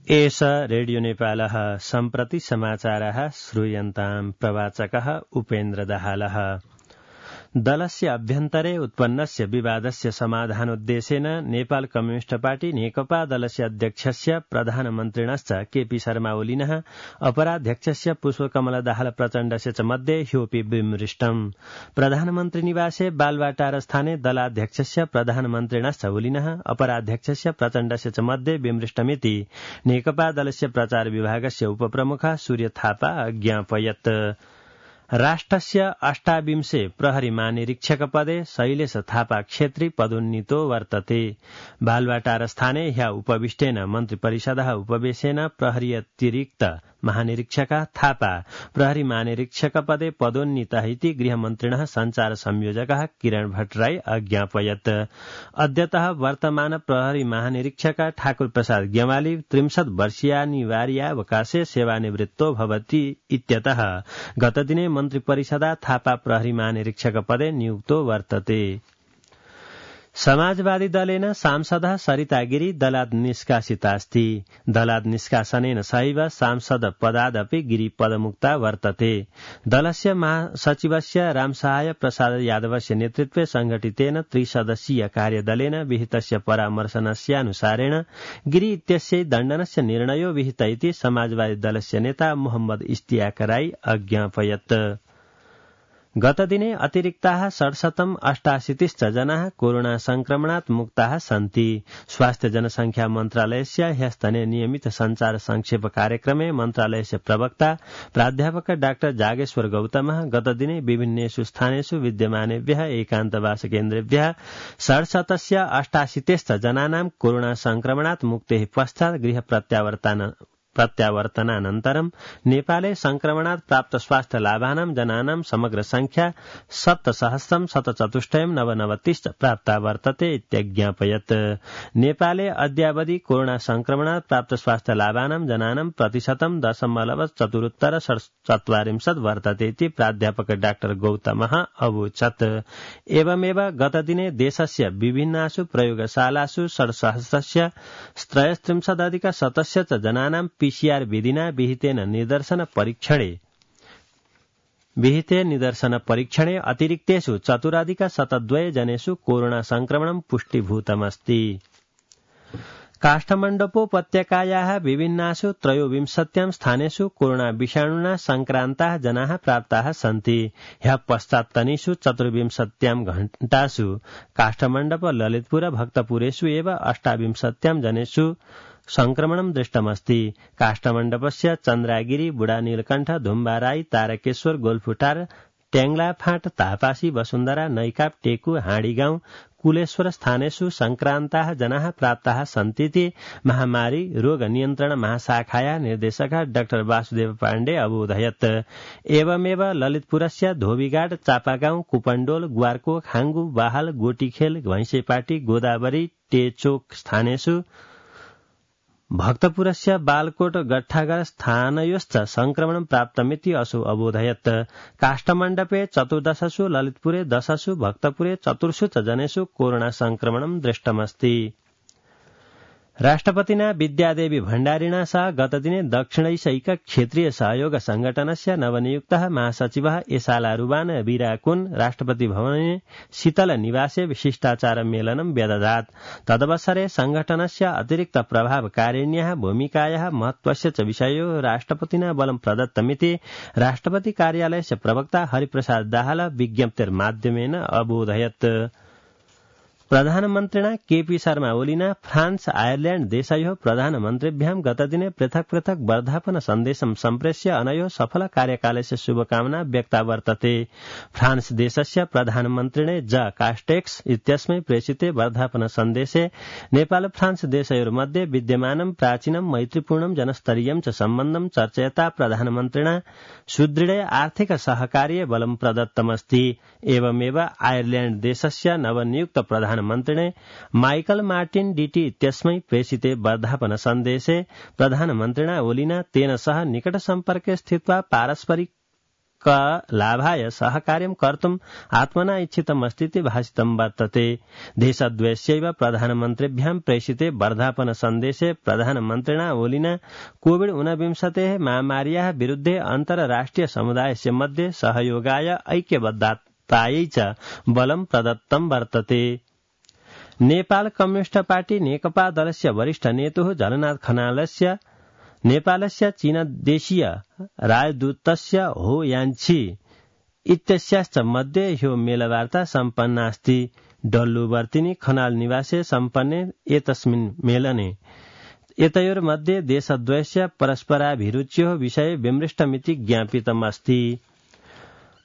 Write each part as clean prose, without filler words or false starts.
एष रेडियो नेपालः सम्प्रति समाचारः श्रूयन्ताम् प्रवाचकः उपेन्द्र दाहालः। दलस्य अभ्यन्तरे उत्पन्नस्य विवादस्य समाधानोद्देशेन नेपाल कम्युनिष्ट पार्टी नेकपा दलस्य अध्यक्षस्य प्रधानमन्त्रिणश्च केपी शर्मा ओलिनः अपराध्यक्षस्य पुष्पकमल दाहाल प्रचण्डस्य च मध्ये ह्योपि विमृष्टम्। प्रधानमन्त्री निवासे बालवाटार स्थाने दलाध्यक्षस्य प्रधानमन्त्रिणश्च ओलिनः अपराध्यक्षस्य प्रचण्डस्य च मध्ये विमृष्टमिति नेकपा दलस्य प्रचार विभागस्य उपप्रमुख सूर्य थापा अज्ञापयत्। राष्ट्रस्य 28 प्रहरी महानिरीक्षकपदे शैलेश थापा क्षेत्री पदोन्नीतो वर्तते। बालवाटार स्थाने ह्य उपविष्टेन मन्त्रिपरिषदः उपवेशेन प्रहरी अतिरिक्त महानिरीक्षक थापा प्रहरी महानिरीक्षकपदे पदोन्नीतः इति गृहमन्त्रिणः सञ्चार संयोजकः किरण भट्टराई अज्ञापयत्। अद्यतः वर्तमान प्रहरी महानिरीक्षक ठाकुर प्रसाद गेवाली 63 वर्षीयानिवार्यावकाशे सेवानिवृत्तो भवति इत्यतः गतदिने मन्त्रिपरिषदा थापा प्रहरी महानिरीक्षकपदे नियुक्तो वर्तते। समाजवादी दलेन सांसदः सरिता गिरी दलात् निष्कासितास्ति। दलात् निष्कासनेन सहैव सांसद पदादपि गिरी पदमुक्ता वर्तते। दलस्य महासचिवस्य रामसहाय प्रसाद यादवस्य नेतृत्वे संघटितेन त्रिसदस्यीय कार्यदलेन विहितस्य परामर्शनस्यानुसारेण गिरी इत्यस्य दण्डनस्य निर्णयो विहित इति समाजवादी दलस्य नेता मोहम्मद इश्तियाक राई अज्ञापयत्। गतदिने अतिरिक्ताः 688 जनाः कोरोना संक्रमणात् मुक्ताः सन्ति। स्वास्थ्य जनसंख्या मन्त्रालयस्य ह्यस्तने नियमित संचार संक्षेप कार्यक्रमे मन्त्रालयस्य प्रवक्ता प्राध्यापक डाक्टर जागेश्वर गौतमः गतदिने विभिन्नेषु स्थानेषु विद्यमानेभ्यः एकान्तवास केन्द्रेभ्यः 688 जनानां कोरोना संक्रमणात् मुक्तेः पश्चात् गृह प्रत्यावर्तनानन्तरं नेपाले संक्रमणात् प्राप्त स्वास्थ्य लाभानां जनानां समग्र संख्या 7,174 प्राप्ता वर्तते इत्यज्ञापयत्। नेपाले अद्यावधि कोरोना संक्रमणात् प्राप्त स्वास्थ्य लाभानां जनानां प्रतिशतं 0.74 वर्तते इति प्राध्यापक डाक्टर गौतमः अवोचत्। एवमेव गतदिने देशस्य विभिन्नासु प्रयोगशालासु 6,033 जनानां पीसीआर विधिना विहिते निदर्शन परीक्षणे अतिरिक्तेषु 4,072 जनेषु कोरोना संक्रमणं पुष्टिभूतमस्ति। काष्ठमण्डपोपत्यकायाः विभिन्नासु 23 स्थानेषु कोरोना विषाणुना संक्रान्ताः जनाः प्राप्ताः सन्ति। ह्यः पश्चात्तनीषु 24 घण्टासु काष्ठमण्डप ललितपुर भक्तपुरेषु एव 28 जनेषु संक्रमणं दृष्टमस्ति। काष्ठमण्डपस्य चन्द्रागिरी बुढा नीलकण्ठ धुम्बाराई तारकेश्वर गोलफुटार ट्याङ्ला फाँट तापासी वसुन्धरा नैकाप टेकु हाँडीगाउँ कुलेश्वर स्थानेषु संक्रान्ताः जनाः प्राप्ताः सन्तीति महामारी रोग नियन्त्रण महाशाखाया निर्देशक डाक्टर वासुदेव पाण्डे अबोधयत्। एवमेव ललितपुरस्य धोबीघाट चापागाउँ कुपण्डोल ग्वारको खाङ्गु बाहाल गोटीखेल भैंसेपाटी गोदावरी टेचोक स्थानेषु भक्तपुरस्य बालकोट गट्ठागर स्थानयोश्च संक्रमणं प्राप्तमिति असौ अबोधयत्। काष्ठमण्डपे 14 ललितपुरे 10 भक्तपुरे 4 जनेषु कोरोना संक्रमणं दृष्टमस्ति। राष्ट्रपतिना विद्यादेवी भण्डारिणा सह गतदिने दक्षिणैशैक क्षेत्रीय सहयोग संगठनस्य नवनियुक्तः महासचिवः एसाला रुबान वीराकुन राष्ट्रपति भवने शीतल निवासे शिष्टाचार मेलनं व्यदधात्। तदवसरे संगठनस्य अतिरिक्त प्रभावकारिण्याः भूमिकायाः महत्त्वस्य च विषयो राष्ट्रपतिना बलं प्रदत्तमिति राष्ट्रपति कार्यालयस्य प्रवक्ता हरिप्रसाद दाहाल विज्ञप्तिर्माध्यमेन अबोधयत्। प्रधानमन्त्रिणा केपी शर्मा ओलिना फ्रान्स आयरल्याण्ड देशयोः प्रधानमन्त्रिभ्यां गतदिने पृथक् पृथक् वर्धापन सन्देशं सम्प्रेष्य अनयोः सफल कार्यकालस्य शुभकामना व्यक्ता वर्तते। फ्रान्स देशस्य प्रधानमन्त्रिणे ज कास्टेक्स इत्यस्मै प्रेषिते वर्धापन सन्देशे नेपाल फ्रान्स देशयोर्मध्ये विद्यमानं प्राचीनं मैत्रीपूर्णं जनस्तरीयं च सम्बन्धं चर्चयता प्रधानमन्त्रिणा सुदृढे आर्थिक सहकार्ये बलं प्रदत्तमस्ति। एवमेव आयरल्याण्ड देशस्य नवनियुक्त प्रधानमन्त्रिणे माइकल मार्टिन डीटी इत्यस्मै प्रेषिते वर्धापन सन्देशे प्रधानमन्त्रिणा ओलिना तेन सह निकट सम्पर्के स्थित्वा पारस्परिक लोकलाभाय सहकार्यं कर्तुम् आत्मना इच्छितमस्तीति भाषितं वर्तते। देशद्वयस्यैव प्रधानमन्त्रिभ्यां प्रेषिते वर्धापन सन्देशे प्रधानमन्त्रिणा ओलिना कोविड-19 महामार्याः विरुद्धे अन्तर्राष्ट्रिय समुदायस्य मध्ये सहयोगाय ऐक्यबद्धतायै च बलं प्रदत्तं वर्तते। नेपाल कम्युनिस्ट पार्टी नेकपा दलस्य वरिष्ठ नेतुः झलनाथ खनालस्य नेपालस्य चीनदेशीय राजदूतस्य हो यान्छी इत्यस्याश्च मध्ये ह्यो मेलवार्ता सम्पन्नास्ति। डल्लुवर्तिनी खनाल निवासे सम्पन्ने एतस्मिन् मेलने एतयोर्मध्ये देशद्वयस्य परस्पराभिरुच्योः विषये विमृष्टमिति ज्ञापितमस्ति।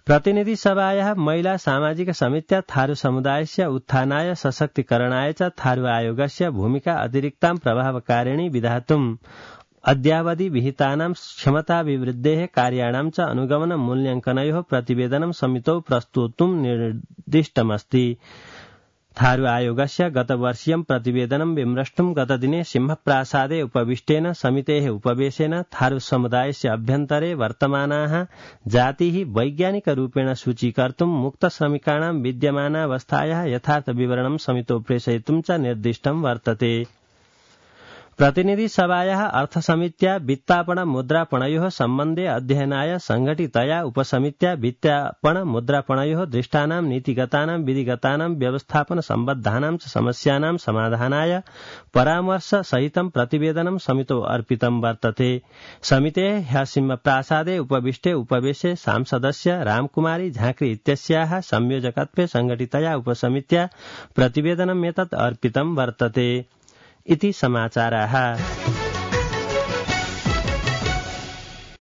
प्रतिनिधिसभायाः महिला सामाजिक समित्या थारू समुदायस्य उत्थानाय सशक्तिकरणाय च थारू आयोगस्य भूमिका अतिरिक्तां प्रभावकारिणी विधातुम् अद्यावधि विहितानां क्षमताभिवृद्धेः कार्याणां च अनुगमन मूल्यांकनयोः प्रतिवेदनं समितौ प्रस्तोतुं निर्दिष्टमस्ति। थारू आयोगस्य गतवर्षीयं प्रतिवेदनं विमृष्टुं गतदिने सिंहप्रासादे उपविष्टेन समितेः उपवेशेन थारू समुदायस्य अभ्यन्तरे वर्तमानाः जातिः वैज्ञानिकरूपेण सूचीकर्तुं मुक्तश्रमिकाणां विद्यमानावस्थायाः यथार्थविवरणं समितौ प्रेषयितुं च निर्दिष्टं वर्तते। प्रतिनिधिसभायाः अर्थसमित्या वित्तापन मुद्रापणयोः सम्बन्धे अध्ययनाय संघटितया उपसमित्या वित्तापन मुद्रापणयोः दृष्टानां नीतिगतानां विधिगतानां व्यवस्थापन सम्बद्धानां च समस्यानां समाधानाय परामर्श सहितं प्रतिवेदनं समितौ अर्पितं वर्तते। समितेः ह्यः सिंहप्रासादे उपविष्टे उपवेशे सांसदस्य रामकुमारी झांक्री इत्यस्याः संयोजकत्वे संघटितया उपसमित्या प्रतिवेदनमेतत् अर्पितं वर्तते इति समाचाराः।